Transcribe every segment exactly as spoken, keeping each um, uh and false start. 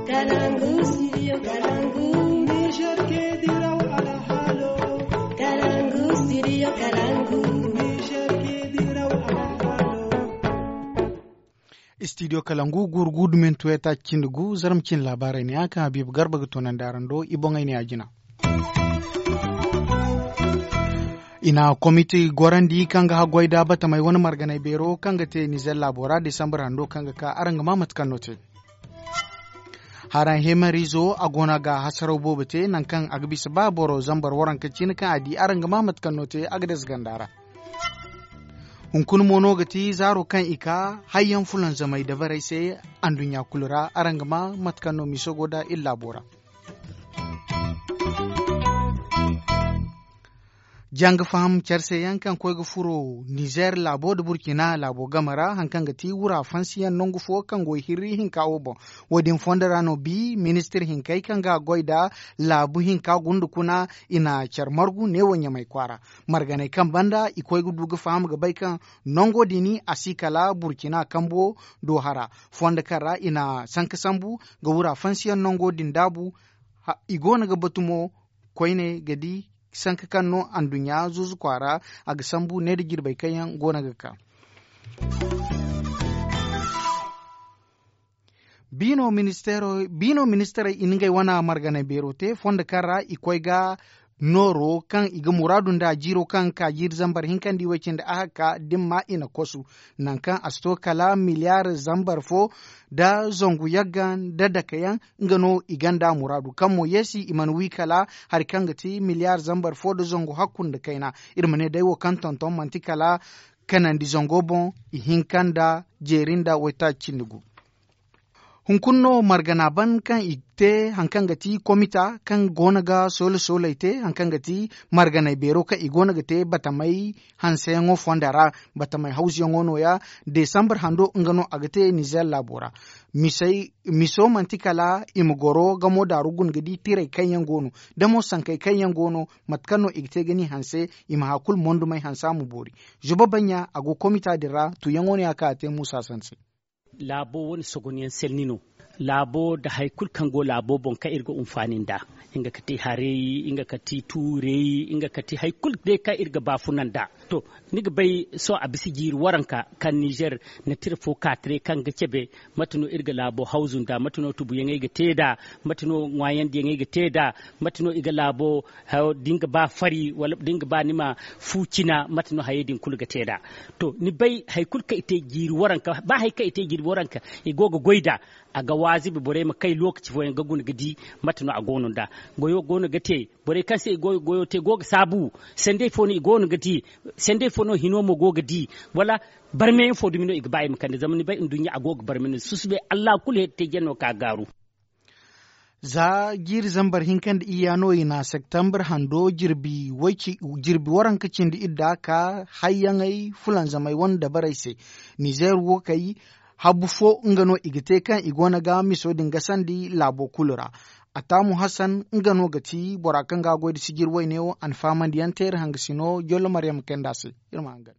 Kalangu, studio Kalangu. Niger ke diraw alhalo. Kalangu, studio Kalangu. Niger ke diraw alhalo. Studio Kalangu, guuru guudumin tuweta cindi gu, zarma cin laabaarey ne ya kaŋ Habiibu Garba ga toonandi araŋ do, i boŋey ne ya jina. I na komite gorandi kaŋ ga haggoy da batamey wane marganay beero kaŋ ga te Nizer laabo ra, Desambar hando kaŋ ga ka, araŋ ga maa mate kaŋ no te. Haraŋ hemarizo, a goono ga hasaraw boobo te, naŋ kaŋ a ga bisa ba boro zambar waranka cine kaŋ a di, araŋ ga maa mate kaŋ no te, a ga dasa ganda ra. Hunkuna mo no ga ti zaaro kaŋ i ka hayyaŋ fulanzamay dabarey se anduɲɲa kulu ra, araŋ ga maa mate kaŋ no miso go da iri laabo ra. Janga faham care se yaŋ kaŋ koy ga furo Nizer laabo nda Burkina laabo game ra, haŋ kaŋ ga ti wura fansiyaŋ nangu fo kaŋ go hirri hinka wo boŋ. Wo-din fondo ra no bi ministir hinkey kaŋ ga goy nda laabu hinka gunda kuna, i na care margu neewo Ɲamay kwaara. Marganey kaŋ banda i koy ga du ga faham ga bay kaŋ nango din a si kala Burkina kambo do hara. Fondo kaŋ ra i na sanka sambu ga wura fansiyaŋ nango din daabu. Ha, i goono ga batu mo koyne ga di sanka kaŋ no anduɲɲa zuuzu kwaara, a ga sambu ne nda jirbey kaŋ yaŋ goono ga ka. Biino ministeero, biino ministeerey i na ngey wane marganay beero te fondo kaŋ ra i koy ga nooro kaŋ i ga muraadu nda jiiro kaŋ ka jiiri zambar hinka nda i way cindi ahakka din ma i na kosu. Naŋ kaŋ a si to kala miliyaar zambar fo nda zangu yagga nda dake yaŋ, nga no i gonda muraadu kaŋ mo yeesi i mana wi kala hari kaŋ ga ti miliyaar zambar fo nda zangu hakku nda kayna. Iri ma ne day wo kaŋ tonton manti kala kanandi zango boŋ, i hinka nda jeeri nda waytaaci cindi gu. Hunkuna no margana ban kaŋ i te haŋ kaŋ ga ti komita kaŋ goono ga soola sooley te haŋ kaŋ ga ti marganay beero kaŋ i goono ga te batamay hanseyaŋo fonda ra. Batamay hawzuyaŋo nooya, desambar hando nga no a ga te nizer laabo ra. Miso manti kala i ma goro gamo daaru guna ga di tirey kaŋ yaŋ go no, da mo sankey kaŋ yaŋ go no, mate kaŋ no i ga te ga ni hanse, i ma haya kulu mondumey hanse a ma boori. Zuba baɲɲa a go komita din ra tuuyaŋo no ya kaŋ a te muusa sanse. Laabo wane sogonyaŋ selni no. Laabo nda hari kulu kaŋ go laabo boŋ kaŋ iri ga hunfaani nd'a, nga ga ti harey, nga ga ti tuurey, nga ga ti hari kulu day kaŋ iri ga baafuna nd'a. To, ni ga bay sohõ a bisa jiiri waranka kaŋ nizer na tira fo ka taray kaŋ ga cabe. Mate no iri ga laabo hawzu nd'a? Mate no tubuyaŋey ga te nd'a? Mate no ŋwaayandiyaŋey ga te nd'a? Mate no i ga laabo da nga ba fari wala da nga ba ni ma fu cina? Mate no hayey din kulu ga te nd'a? To, ni bay hari kulu kaŋ i te jiiri waranka ba hari kaŋ i te jiiri waranka i go ga goy nd'a. A ga waazibi borey ma kay lookaci fooyaŋ ga guna ga di mate no a go no nd'a. Goyo go no ga te. Borey kaŋ se i go ga goyo te go ga saabu. Sanday fo no i go no ga di. Sanday fo no hino mo go ga di. Wala barmeyaŋ fo dumi no i ga ba i ma kande zama ni bay nduɲɲa a go ga barme no susubay allah kulu here te jeno ka gaaru. Za jiiri zambar hinka nda iyya no i na septembre hando jirbi waranka cindi idda ka hayyaŋey fulanzamey wane dabarey se. Nizer wo kay habu fo nga no i ga te kaŋ i go no ga miso din gasandi laabo kulu ra. Ataamu hassan nga no ga ti bora kaŋ ga a goy nda sijir wayne wo a na faamandiyaŋ te iri hangasino jollo maryam kayndi a se. Iri ma hangan.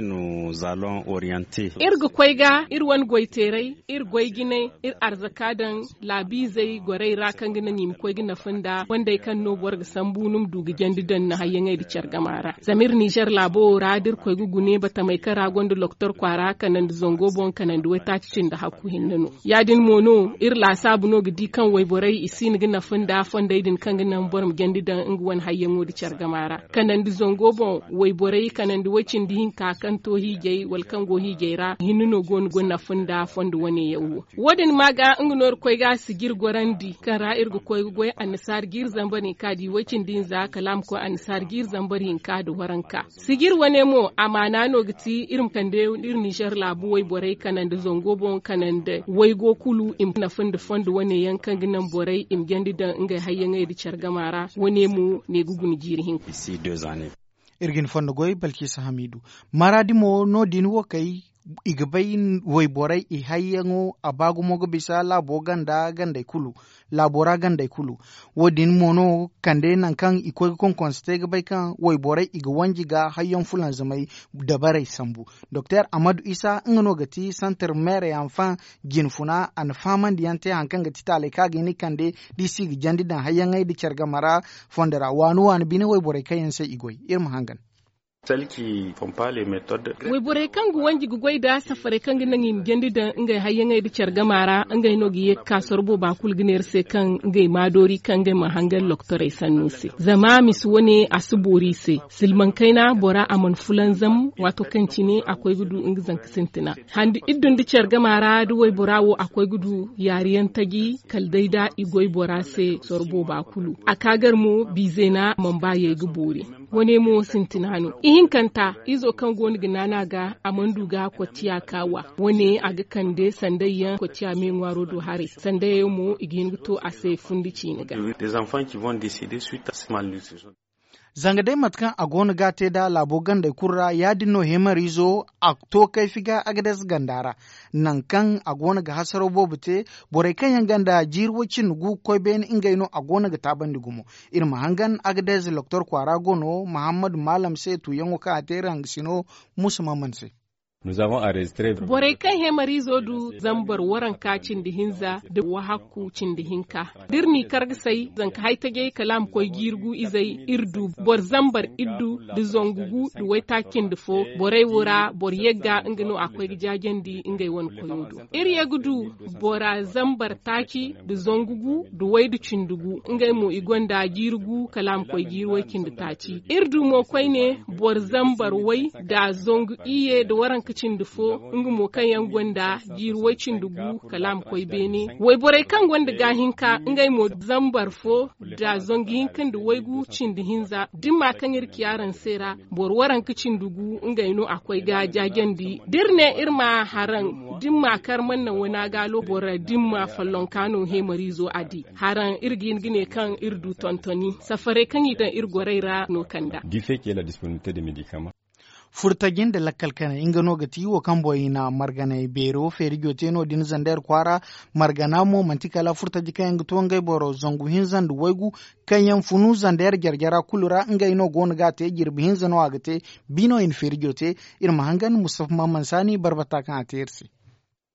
Iri ga koy ga iri wane goyteeray, iri goy jinay, iri arzaka daŋ laabiizey gorey ra kaŋ ga naŋ i ma koy ga nafa nd'a fondey kaŋ no boro ga sambu ni ma du ga jandi daŋ ni hayyaŋey nda care gama ra. Zama iri nizer laabo wo ra da iri koy ga gune batamey kaŋ ra gonda loktor kwaara kanandi zango boŋ kanandi waytaaci cindi hakku hinne no. Ya- din mo no iri laasaabu no ga di kaŋ wayborey i si hin ga nafa nda fondey din kaŋ ga naŋ boro ma jandi daŋ nga wane hayyaŋo nda care gama ra. Kanandi zango boŋ wayborey kanandi way cindi hinka kaŋ to hiijay wala kaŋ go hiijay ra hinne no go no ga nafa nda fondo wane yaŋ wo. Wo- din ma ga nga no iri koy ga sijir gorandi kaŋ ra iri ga koy ga goy annasaara jiiri zambar hinka di way cindi hinza kala a ma koy annasaara jiiri zambar hinka nda waranka. Sijir wane mo amaana no ga ti iri ma kande iri nizer laabu wayborey kanandi zango boŋ kanandi waygo kulu i ma nafa nda fondo wane yaŋ kaŋ ga naŋ borey i ma jandi daŋ ngey hayyaŋey nda care gama ra. Wane mo ne ga guna jiiri hinka. Iri ga ni fondo goy balkisa hamiidu. Maraadi mo no- din wo kay I ga bay wayborey i hayyaŋo a ba gumo ga bisa laabo ganda gandey kulu. Laabo ra gandey kulu. Wo- din mo no kande nangu kaŋ i koy ga konkonse te ga bay kaŋ wayborey i ga wanji ga hayyaŋ fulanzamay dabarey sambu. Doktor amadu isa nga no ga ti santar meere yaŋ faŋ jinfuna a na fahamandi yaŋ te hari kaŋ ga ti taaley kaŋ a ga hin ga kande da i si ga jandi daŋ hayyaŋey nda care game ra. Fondo ra waani waani bine wayborey kaŋ yaŋ se i goy iri ma hangan. Wayborey kaŋ ga wanji ga goy nda safarey kaŋ ga naŋ i ma jandi daŋ ngey hayyaŋey nda care game ra ngey no ga ye ga ka sorro booba kulu ga neera se kaŋ ngey ma doori kaŋ ngey ma hangan lokotorey sannu se. Zama misa wane a si boori i se. Silmaŋ kayna bora a mana fulanzam waato kaŋ cine a koy ga du nga zanka sintina. Handi iddu nda care game ra da waybora wo a koy ga du yaari yaŋ taji kala day da i goy bora se sorro booba kulu a ka gar mo biizeena mana ba yay ga boori. Wane mo sintina no ihinkanta izo kaŋ go no ga naana ga a mana du ga kocciya ka wa. Wane a ga kande sanday yaŋ kocciya me ŋwaaro do haray sanday yaŋ mo i ga hin ga to a se fundi ciine ga. Zanga day mate kaŋ a go no ga a te nd'a laabo gandey kulu ra ya- din no heemariizo a to kayfi ga agades ganda ra. Nangu kaŋ a go no ga hasaraw boobo te borey kaŋ yaŋ ganda jiiri way- cindi gu ga koy beene ngey no a go no ga taabandi gumo. Iri ma hangan agades doktor kwaara go no mahammadu maalam se tuuyaŋo kaŋ a te iri hangasino muusa maman se. Borey kaŋ heemariizo du zambar waranka cindi hinza nda wahakku cindi hinka da iri n'i kar ga say zanka haytajey kala a ma koy jiiri gu izey iri du boro zambar iddu nda zangu gu nda waytaaci cindi fo. Borey wo ra boro yagga nga no a koy ga jaajandi ngey wane koyo do. Iri ye ga du bora zambar taaci nda zangu gu nda waydu cindi gu ngey mo i gonda jiiri gu kala a ma koy jiiri way cindi taaci. Iri du mo koyne boro zambar way nda zangu iyye nda waranka cindi fo nga mo kaŋ yaŋ gonda jiiri way cindi gu kala a ma koy beene. Wayborey kaŋ gonda gaahinka ngey mo zambar fo nda zangu hinka nda waygu cindi hinza dimma kaŋ iri ci araŋ se ra. Boro waranka cindi gu ngey no a koy ga jaajandi da iri ne iri ma haraŋ dimma kar mana naŋ wana gaalo boro dimma follonka no heemariizo a di. Haraŋ iri ga hin ga ne kaŋ iri du tontoni safarey kaŋ i daŋ iri gorey ra no kanda. Furtaji nda lakkal kanay nga no ga ti wo kaŋ boŋ i na marganay beero feerijo te no- din zander kwaara. Margana mo manti kala furtaji kaŋ yaŋ ga to ngey boro zangu hinza nda waygu kaŋ yaŋ funu zander jare-jara kulu ra ngey no go no ga a te jirbi hinza no a ga te. Bi no i na feerijo te. Iri ma hangan mustafa maman saani barbata kaŋ a te iri se.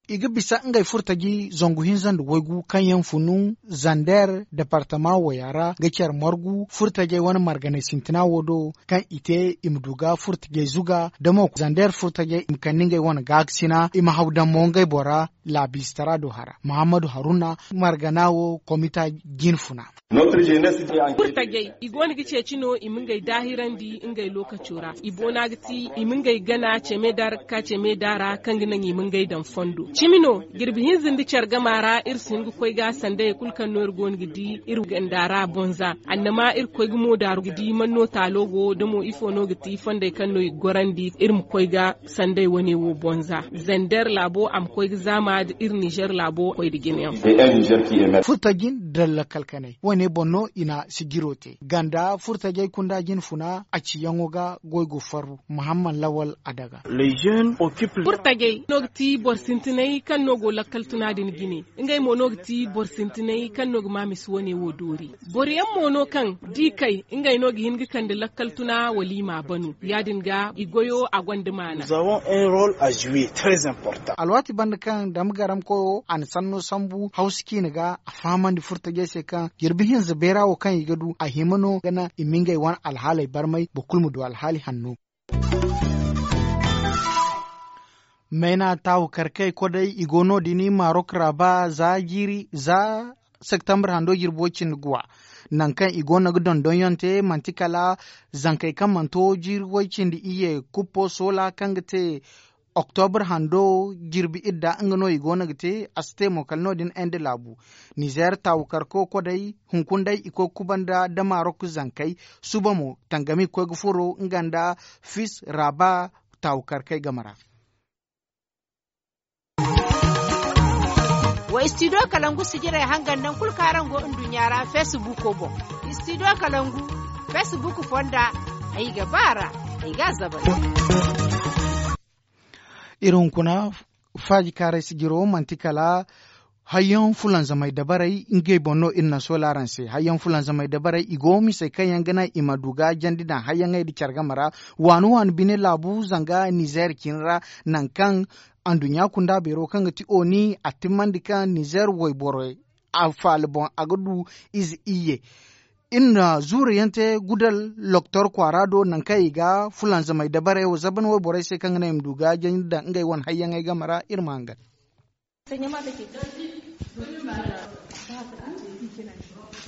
I ga bisa ngey furtaji zangu hinza nda waygu kaŋ yaŋ funu zander departama waya ra ga care margu furtajey wane marganay sintina wo do kaŋ i te i ma du ga furtajey zuga da mo zander furtajey i ma kande ngey wane gaakasina i ma haw daŋ mo ngey bora. Laabiistara do hara muhammadu haruna margana wo komita jinfuna. Furtajey i go no ga ceeci no i ma ngey daahirandi ngey lookaco ra i boona ga ti i ma ngey gana ceme da ra ga ka ceme da ra kaŋ ga naŋ i ma ngey daŋ fondo cimi no. Jirbi hinza nda care gama ra iri si hin ga koy ga sandayey kulu kaŋ no iri go no ga di iri ganda ra bonza annama iri ga koy ga moodaaru ga di man no taalo go da mo ifo no ga ti fondey kaŋ no i ga gorandi iri ma koy ga sandey wane wo bonza. Zander laabo a ma koy ga zaama da iri nizer laabo koy da jinayaŋ. Furtajin dalla kalkanay wane boŋ no i na sijiro te ganda furtajey kunda jina funa a ciyaŋo ga goy go farru muhammad lawal adaga. Furtajey no ga ti boro sintinay kaŋ no go lakkal tuna din jine. Ngey mo no ga ti boro sintinay kaŋ no ga ma misi wane wo doori. Boro yaŋ mo no kaŋ da i kay ngey no ga hin ga kande lakkal tuna wala i ma a banu ya- din ga i goyo a gonda maana. Alwaati banda kaŋ dama garam koyo a na sanno sambu hawsa ciine ga a fahamandi furtajey se kaŋ jirbi hinza beera wo kaŋ i ga du a hima no ga naŋ i ma ngey wane alhaaley barmay boro kulu ma du alhaali hanno. Mayna taawu karkey kodey i go no- din marok ra ba za jiiri za septembre hando jirbi way- cindi guwa. Nangu kaŋ i go no ga dondonyaŋ te manti kala zankey kaŋ mana to jiiri way- cindi iyye kuppo soola kaŋ ga te oktobre hando jirbi idda nga no i go no ga te a si te mo kala no- din ende laabu. Nizer taawu karko kodey hunkuna day i koy ga kubanda da marok zankey suba mo tangami ga koy ga furo nga nda fis raba taawu karkey game ra. Wa istidiyo kalangu sijirey hangan naŋ kulu kaŋ araŋ go nduɲɲa ra feesibuuko boŋ. Istidiyo kalangu feesibuuku fonda ay ga ba a ra ay ga a zabari. Iri hunkuna faaji kaaray sijiro manti kala hayyaŋ fulanzamay dabarey ngey boŋ no iri naŋ sola araŋ se hayyaŋ fulanzamay dabarey i go misey kaŋ yaŋ ga naŋ i ma du ga jandi daŋ hayyaŋey nda care game ra. Waani waani bine laabu zanga nizeer cine ra, nangu kaŋ anduɲɲa kunda beero kaŋ ga ti oni a timmandi kaŋ nizeer wayborey a faala boŋ a ga du ize iyye. Iri na zuuru yaŋ te gudal loktor kwaara do nangu kaŋ i ga fulanzamay dabarey wo zaban wayborey se kaŋ ga naŋ i ma du ga jandi daŋ ngey wane hayyaŋey game ra iri ma hangan.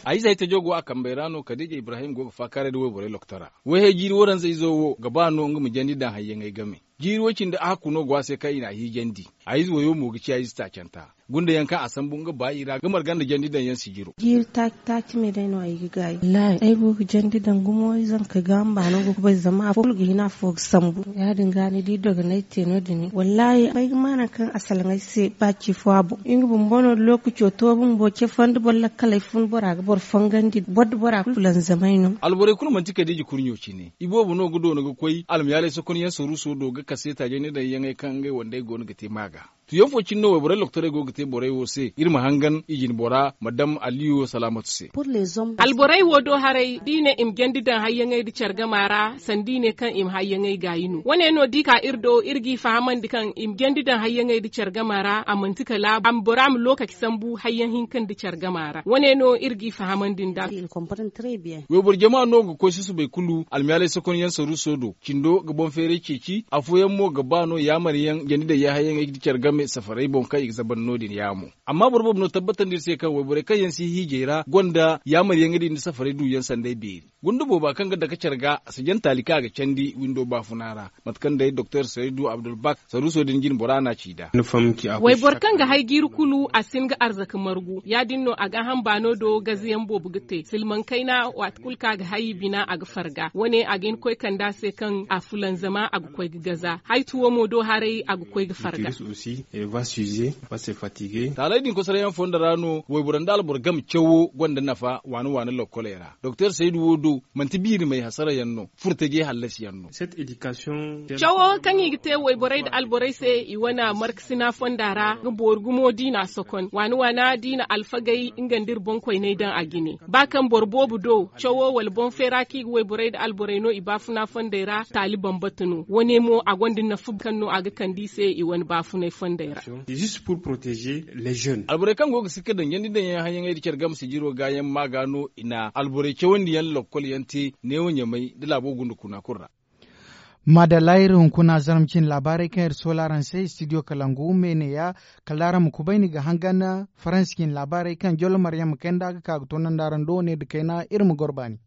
A ize ay tajo go a kambey ra no kadiija ibrahim go ga faakaaray nda wayborey loktora. Wayhay jiiri waranza izo wo ga ba no nga ma jandi daŋ hayyaŋey game. Jiiri way cindi a hakku no go a se kaŋ i n'a hiijandi. A ize wayo mo ga ci a ize taacanta. Gunda yaŋ kaŋ a sambu nga baayi ra ga marga nda jandi daŋ yaŋ sijiro. Jiiri taaci taaci me day no ay ga gaayi wallaahi ay go ga jandi daŋ gumo zanka ga mbaano go ga bay zama afo kulu ga hin afo ga sambu. Ya- din ga ni di dogonay te no- din wallaahi ay ga ma nangu kaŋ a salaŋ ay se ba ci fo a boŋ nga bumbo no lookaco to bumbo ce fondo boro lakkaley fun bora ga boro fongandi boro da bora kulu fulanzamay no. Alborey kulu manti kadiija kurɲo cine iboobo no ga doona ga koy almayaalay sokonyaŋ saruuso do ga kase taajaŋ ni daŋ yaŋey kaŋ ngey wandey go no ga te maaga. Tuyaŋ fo cine no wayborey loktorey go ga te borey wo se iri ma hangan i jinbora ma daŋ aliyo salaamatu se. Alborey wo do haray da i ne i ma jandi daŋ hayyaŋey nda care gama ra sanda i ne kaŋ i ma hayyaŋey gaayi no wane no da i ka iri do iri g'i fahamandi kaŋ i ma jandi daŋ hayyaŋey nda care gama ra a manti kala bora ma lookaci sambu hayyaŋ hinka nda care gama ra wane no iri g'i fahamandi nd'a. Wayboro jama no ga koy susubay kulu almiyaalay sokonyaŋ saruuso do cindo ga boŋ feeray ceeci afooyaŋ mo ga ba no yaamaryaŋ jandi daŋ yaahayaŋey ga care game safarey boŋ kaŋ i ga zaban no- din yaamo. Amma boro boobo no tabbatandi iri se kaŋ wayborey kaŋ yaŋ si hiijay ra gonda yaamaryaŋey din nda safarey duuyaŋ sanday beeri. Gunda booba kaŋ ga dake care ga a si jaŋ taali kaŋ a ga candi windo baafuna ra. Mate kaŋ day doktor saridu abdulbak saruuso din jine bora no a ci nd'a. Wayboro kaŋ ga hay jiiri kulu a si hin ga arzaka margu ya- din no a ga a hamba no do gazayaŋ boobo ga te silmaŋ kayna waati kulu kaŋ a ga hay i bina a ga farga wane a ga hin ga koy kande a se kaŋ a fulanzama a ga koy ga gaza haytuwo mo do haray a ga koy ga farga. Taaley din kosarayaŋ fondo ra no wayboro nda alboro game cawo gonda nafa waani waani lokkoley ra doktor saydu wo do manti biirimey hasarayaŋ no furtajey hallasiyaŋ no. Cawo kaŋ i ga te wayborey nda alborey se i wane markasina fonda ra ga boori gumo da i n'a sokon waani waana da i na alfagey nga nda iri boŋkoyney daŋ a jine ba kaŋ boro boobo do cawo wala boŋ feera kaŋ i ga wayborey nda alborey no i baafuna fondey ra taali bambata no wane mo a gonda nafa kaŋ no a ga kande i se i wane baafunay fondey ra. Alborey kaŋ go ga sikka daŋ jandi daŋ yaŋ hayaŋey nda care game sijiro gaayaŋ maaga no i na alborey cawandi yaŋ lokkol yaŋ te neewo ɲamay nda laabo gunda kuna kulu ra. Maadalla iri hunkuna zarma cine laabaarey kaŋ iri soola araŋ se istidiyo kalangu me neeya. Kala da araŋ ma kubayni ga hangan faransi cine laabaarey kaŋ jollo maryaŋ ma kay nd'a ga ka ga toonandi araŋ do ne nda kayna iri ma goro baani.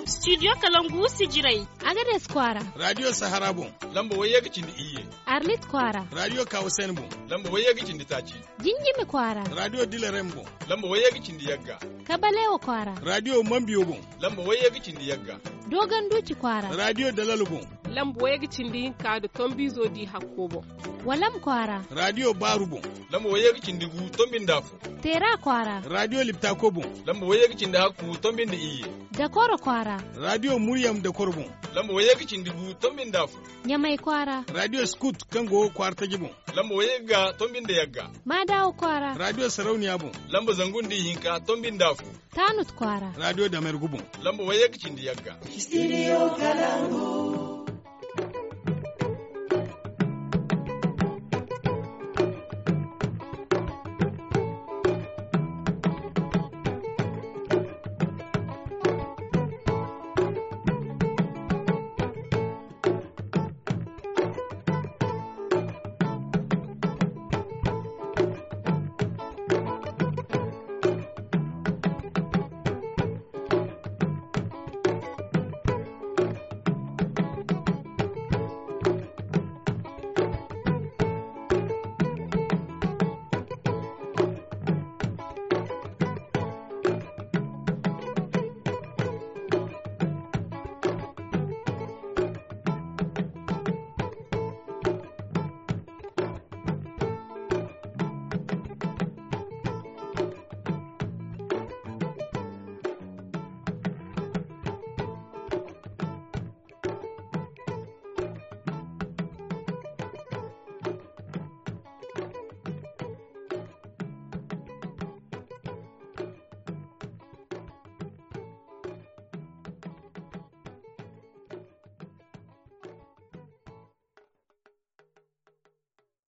Istidiyo kalangu sijirey. Agades kwaara. Raadiyo sahara boŋ. Lamba wayye ga cindi iyye. Arlit kwaara. Raadiyo kawusen boŋ. Lamba wayye ga cindi taaci. Jinjimi kwaara. Raadiyo dilarem boŋ. Lamba wayye ga cindi yagga. Kabalewa kwaara. Raadiyo mambiyo boŋ. Lamba wayye ga cindi yagga. Dogon duuci kwaara. Raadiyo dalalo boŋ. Lamba wayye ga cindi hinka nda tombiizo di hakko boŋ. Walam kwaara. Raadiyo baaru boŋ. Lamba wayye ga cindi gu tombi nda afo. Teera kwaara. Raadiyo liptako boŋ. Lamba wayye ga cindi hakku tombi nda iyye. Dakoro kwaara. Raadiyo muryam dakoro boŋ. Lamba wayye ga cindi gu tombi nda afo. Ɲamay kwaara. Raadiyo skut kaŋ go kwaara taji boŋ. Lamba wayye ga tombi nda yagga. Maadawa kwaara. Raadiyo sarauniya boŋ. Lamba zangu nda ihinka tombi nda afo. Taanut kwaara. Raadiyo damergu boŋ. Lamba wayye ga cindi yagga. Istidiyo kalangu.